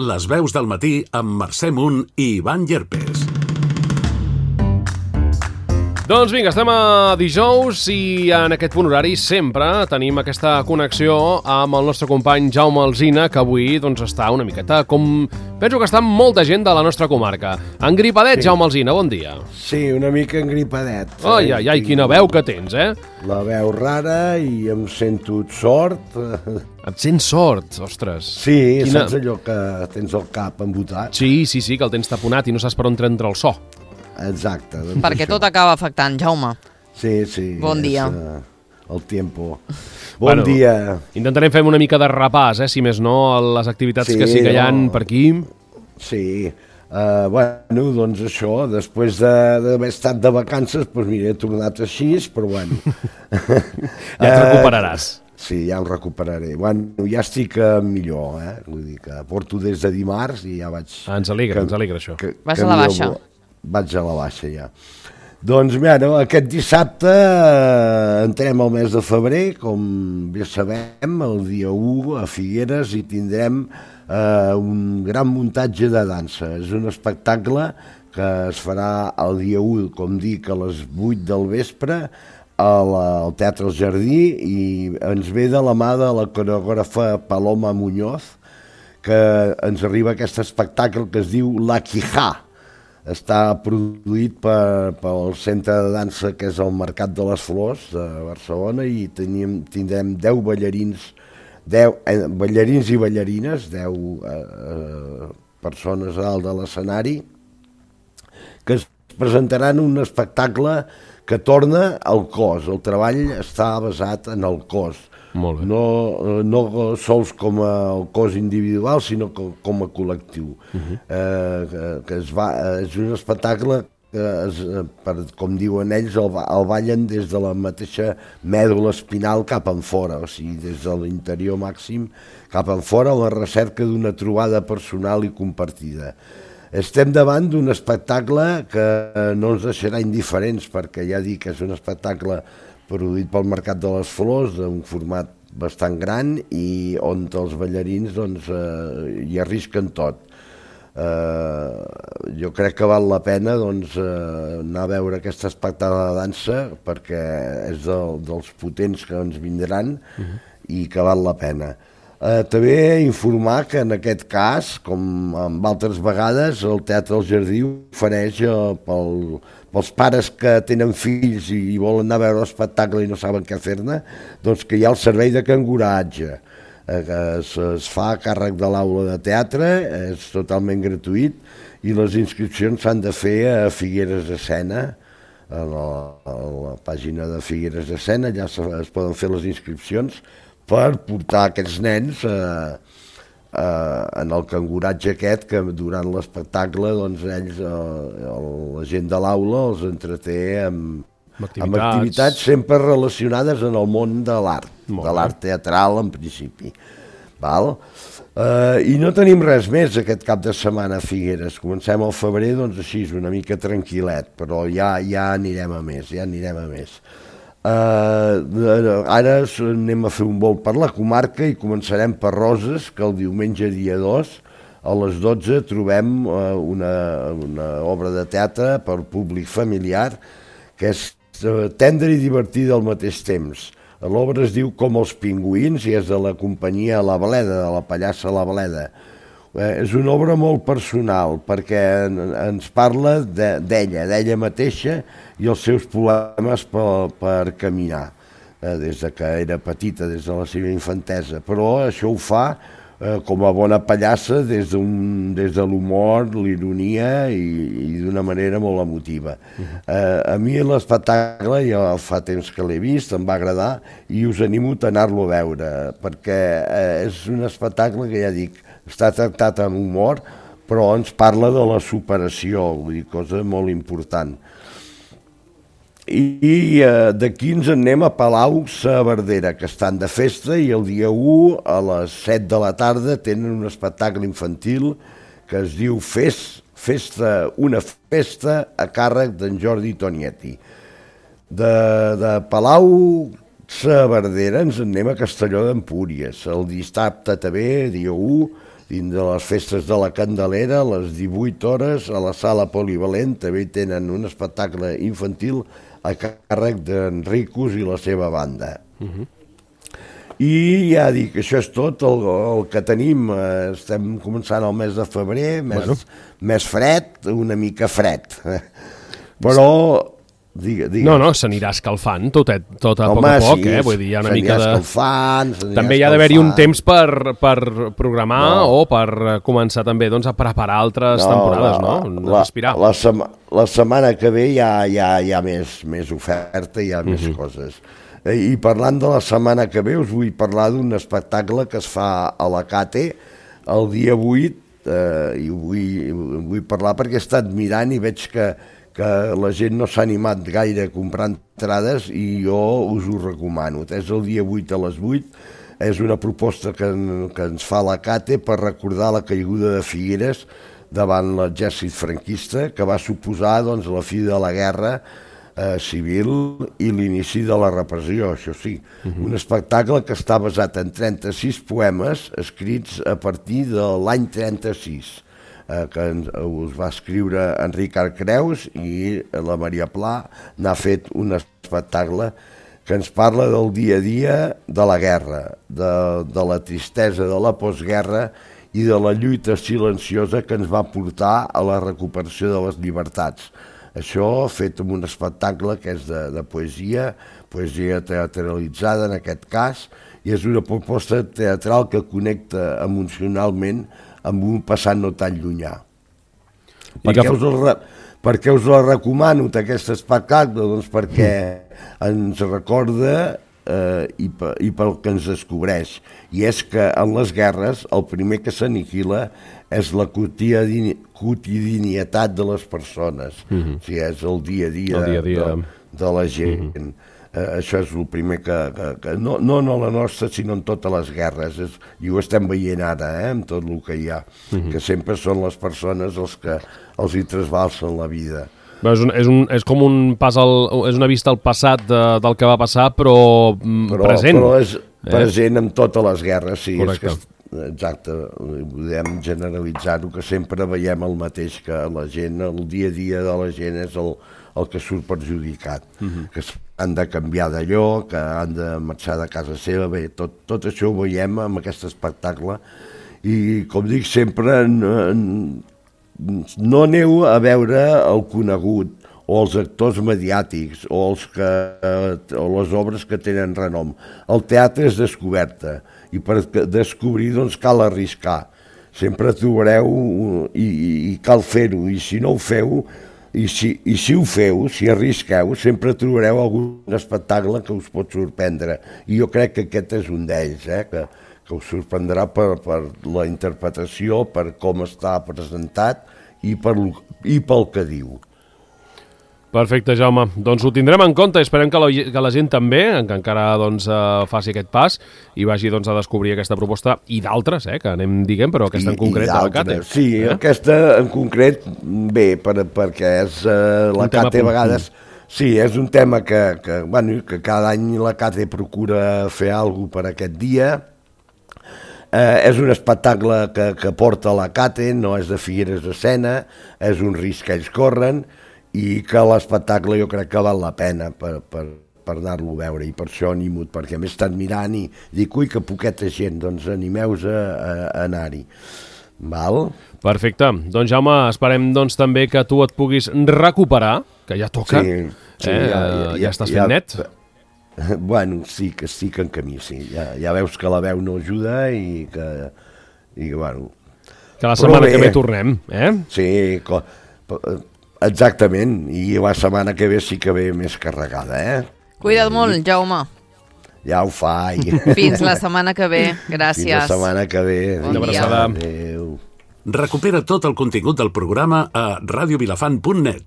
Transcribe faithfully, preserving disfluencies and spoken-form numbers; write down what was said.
Les veus del matí amb Mercè Munt i Ivan Llerpes. Doncs vinga, estem a dijous i en aquest punt horari sempre tenim aquesta connexió amb el nostre company Jaume Alsina, que avui doncs, està una miqueta com... Penso que està molta gent de la nostra comarca. Engripadet, sí. Jaume Alsina, bon dia. Sí, una mica engripadet. Ai, ai, ai, quina veu que tens, eh? La veu rara i em sento sort. Et sents sort, ostres. Sí, quina... saps allò que tens el cap embotat? Sí, sí, sí, que el tens taponat i no saps per on entra el so. Exacte. Doncs Perquè això. tot acaba afectant, Jaume. Sí, sí. Bon dia. És, uh, el tiempo. Bon bueno, dia. Intentarem fer una mica de repàs, eh, si més no, a les activitats sí, que sí que hi ha no. per aquí. Sí. Uh, bueno, doncs això, després d'haver de, estat de vacances, doncs mira, he tornat així, però bueno. Ja et recuperaràs. Uh, sí, ja em recuperaré. Bueno, ja estic uh, millor, eh? Vull dir que porto des de dimarts i ja vaig... Ah, ens alegra, que, ens alegra això. Que, Vas a la baixa. Vaig a la baixa, ja. Doncs, mira, aquest dissabte eh, entrem al mes de febrer, com bé sabem, el dia u a Figueres i tindrem eh, un gran muntatge de dansa. És un espectacle que es farà el dia u, com dic, a les vuit del vespre, al, al Teatre El Jardí, i ens ve de la mà de la coreògrafa Paloma Muñoz, que ens arriba aquest espectacle que es diu La Quijá. Està produït per, pel centre de dansa que és el Mercat de les Flors de Barcelona i tenim, tindrem deu ballarins, deu eh, ballarins i ballarines, deu eh, persones a dalt de l'escenari, que es presentaran un espectacle que torna al cos. El treball està basat en el cos. Molt bé. No, no sols com a cos individual, sinó com, com a col·lectiu. Uh-huh. eh, que, que es va, és un espectacle que, es, per, com diuen ells, el, el ballen des de la mateixa mèdula espinal cap en fora, o sigui, des de l'interior màxim cap en fora, la recerca d'una trobada personal i compartida. Estem davant d'un espectacle que no ens deixarà indiferents, perquè ja dic que és un espectacle produït pel Mercat de les Flors, d'un format bastant gran i on els ballarins doncs, eh, hi arrisquen tot. Eh, jo crec que val la pena doncs, eh, anar a veure aquest espectacle de dansa perquè és del, dels potents que ens vindran uh-huh. i que val la pena. Eh, també informar que en aquest cas, com en altres vegades, el Teatre El Jardí ofereix eh, pel, pels pares que tenen fills i, i volen anar a veure l'espectacle i no saben què fer-ne, doncs que hi ha el servei de canguratge, eh, que es, es fa a càrrec de l'aula de teatre, és totalment gratuït i les inscripcions s'han de fer a Figueres Escena, a la, a la pàgina de Figueres Escena, allà es, es poden fer les inscripcions per portar aquests nens eh, eh, en el canguratge aquest que durant l'espectacle doncs, ells, eh, la gent de l'aula els entreté amb, amb, activitats. amb activitats sempre relacionades en el món de l'art, de l'art teatral en principi. Val? Eh, I no tenim res més aquest cap de setmana a Figueres. Comencem al febrer doncs així, una mica tranquil·let, però ja, ja anirem a més, ja anirem a més. Uh, ara anem a fer un volt per la comarca i començarem per Roses, que el diumenge dia dos a les dotze trobem uh, una, una obra de teatre per públic familiar que és uh, tendre i divertida al mateix temps. L'obra es diu Com els pingüins i és de la companyia La Bleda, de la pallassa La Bleda. Eh, és una obra molt personal perquè ens parla d'ella, d'ella mateixa i els seus problemes per, per caminar, eh, des de que era petita, des de la seva infantesa. Però això ho fa eh, com a bona pallassa des, des de l'humor, l'ironia i, i d'una manera molt emotiva. Eh, a mi l'espectacle, ja fa temps que l'he vist, em va agradar i us animo a anar-lo a veure perquè eh, és un espectacle que ja dic, està tractat amb humor, però ens parla de la superació, vull dir, cosa molt important. I, i eh, d'aquí ens anem a Palau-saverdera, que estan de festa, i el dia u a les set de la tarda tenen un espectacle infantil que es diu Fes, Festa, una festa a càrrec d'en Jordi Tonietti. De, de Palau-saverdera ens anem a Castelló d'Empúries. El dissabte també, dia u, dins de les festes de la Candelera, a les divuit hores, a la sala polivalent, també tenen un espectacle infantil a càrrec d'en Ricos i la seva banda. Uh-huh. I ja dic, això és tot el, el que tenim. Estem començant el mes de febrer, mes, bueno. mes fred, una mica fred. Però, digue, digues. No, no, s'anirà escalfant tot, tot a Home, poc a poc, sí, eh? Vull dir, hi ha una mica de... escalfant, també hi ha d'haver-hi un temps per, per programar no. o per començar també doncs, a preparar altres no, temporades, la, no? La, respirar. La, sema, la setmana que ve hi ha, hi ha, hi ha més, més oferta, hi ha uh-huh. més coses. I parlant de la setmana que ve, us vull parlar d'un espectacle que es fa a la Cate el dia vuit, eh, i ho vull, vull parlar perquè he estat mirant i veig que, que la gent no s'ha animat gaire a comprar entrades i jo us ho recomano. És el dia vuit a les vuit, és una proposta que, que ens fa la Cate per recordar la caiguda de Figueres davant l'exèrcit franquista, que va suposar doncs, la fi de la guerra Eh, civil i l'inici de la repressió, això sí. Uh-huh. Un espectacle que està basat en trenta-sis poemes escrits a partir de l'any trenta-sis, eh, que ens, us va escriure Enric Arcreus i la Maria Pla n'ha fet un espectacle que ens parla del dia a dia de la guerra, de, de la tristesa de la postguerra i de la lluita silenciosa que ens va portar a la recuperació de les llibertats. Això fet amb un espectacle que és de, de poesia, poesia teatralitzada en aquest cas, i és una proposta teatral que connecta emocionalment amb un passat no tan llunyà. Per què us, el, per què us la recomano, aquest espectacle? Doncs perquè ens recorda eh, i, i pel que ens descobreix, i és que en les guerres el primer que s'aniquila és la quotidiani, quotidianitat de les persones, uh-huh. o sigui, és el dia a dia, el dia, a dia. De, de la gent. Uh-huh. Eh, això és el primer que... que, que no, no en la nostra, sinó en totes les guerres, és, i ho estem veient ara, eh, amb tot el que hi ha, uh-huh. que sempre són les persones els que els hi trasbalsen la vida. Bé, és, un, és, un, és com un pas al, és una vista al passat de, del que va passar, però, però present. Però és present eh? en totes les guerres, sí. Correcte. És que, exacte, podem generalitzar-ho, que sempre veiem el mateix, que la gent, el dia a dia de la gent és el, el que surt perjudicat, uh-huh. que han de canviar d'allò, que han de marxar de casa seva, bé, tot, tot això ho veiem amb aquest espectacle, i com dic sempre, no, no aneu a veure el conegut, o els actors mediàtics, o, els que, o les obres que tenen renom. El teatre és descoberta, i per descobrir doncs, cal arriscar. Sempre trobareu i, i cal fer-ho, i si no ho feu, i si, i si ho feu, si arrisqueu, sempre trobareu algun espectacle que us pot sorprendre. I jo crec que aquest és un d'ells, eh? que, que us sorprendrà per, per la interpretació, per com està presentat i, per, i pel que diu. Perfecte, Jaume. Doncs ho tindrem en compte i esperem que la, que la gent també, que encara doncs, uh, faci aquest pas i vagi doncs, a descobrir aquesta proposta i d'altres, eh, que anem diguem, però aquesta I, en concret de la Cate. Sí, eh? aquesta en concret, bé, per, perquè és uh, la Cate a vegades... Sí, és un tema que, que, bueno, que cada any la Cate procura fer alguna per aquest dia. Eh, és un espectacle que, que porta la Cate, no és de Figueres de Sena, és un risc que ells corren, i que l'espectacle jo crec que val la pena per, per, per anar-lo a veure, i per això animo, perquè m'he estat mirant i dic, ui, que poqueta gent, doncs animeu-vos a, a, a anar-hi. Val? Perfecte. Doncs Jaume, esperem doncs, també que tu et puguis recuperar, que ja toca, sí, sí, eh? ja, ja, ja estàs fent ja, net? Bueno, sí, que estic en camí, sí. Ja, ja veus que la veu no ajuda i que, i, bueno... Que la setmana bé, que ve tornem, eh? Sí, co, exactament, i la setmana que ve sí que ve més carregada, eh? Cuida't molt, Jaume. Ja ho faig. Fins la setmana que ve, gràcies. Fins la setmana que ve. Bon dia. Adéu. Recupera tot el contingut del programa a radiovilafant punt net.